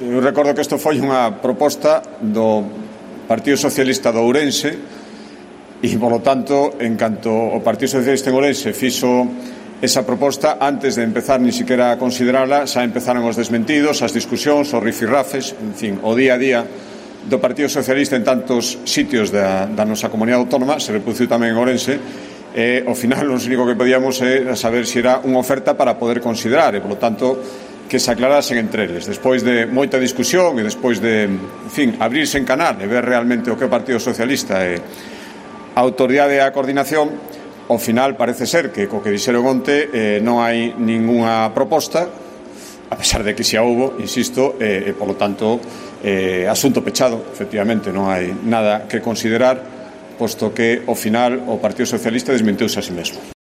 Eu recordo que isto foi unha proposta do Partido Socialista de Ourense e, polo tanto, en canto o Partido Socialista de Ourense fixo esa proposta, antes de empezar ni siquiera a considerala, xa empezaron os desmentidos, as discusións, os rifirrafes, en fin, o día a día do Partido Socialista en tantos sitios da nosa comunidade autónoma, se reproduciu tamén en Ourense, e ao final o único que podíamos é saber se era unha oferta para poder considerar e, polo tanto, que se aclarasen entre eles. Despois de moita discusión e despois de, en fin, abrirse en canal e ver realmente o que é o Partido Socialista e a autoridade e a coordinación, ao final parece ser que co que dixeron onte non hai ningunha proposta, a pesar de que xa houbo, insisto, e polo tanto asunto pechado, efectivamente, non hai nada que considerar, posto que ao final o Partido Socialista desmenteuse a si mesmo.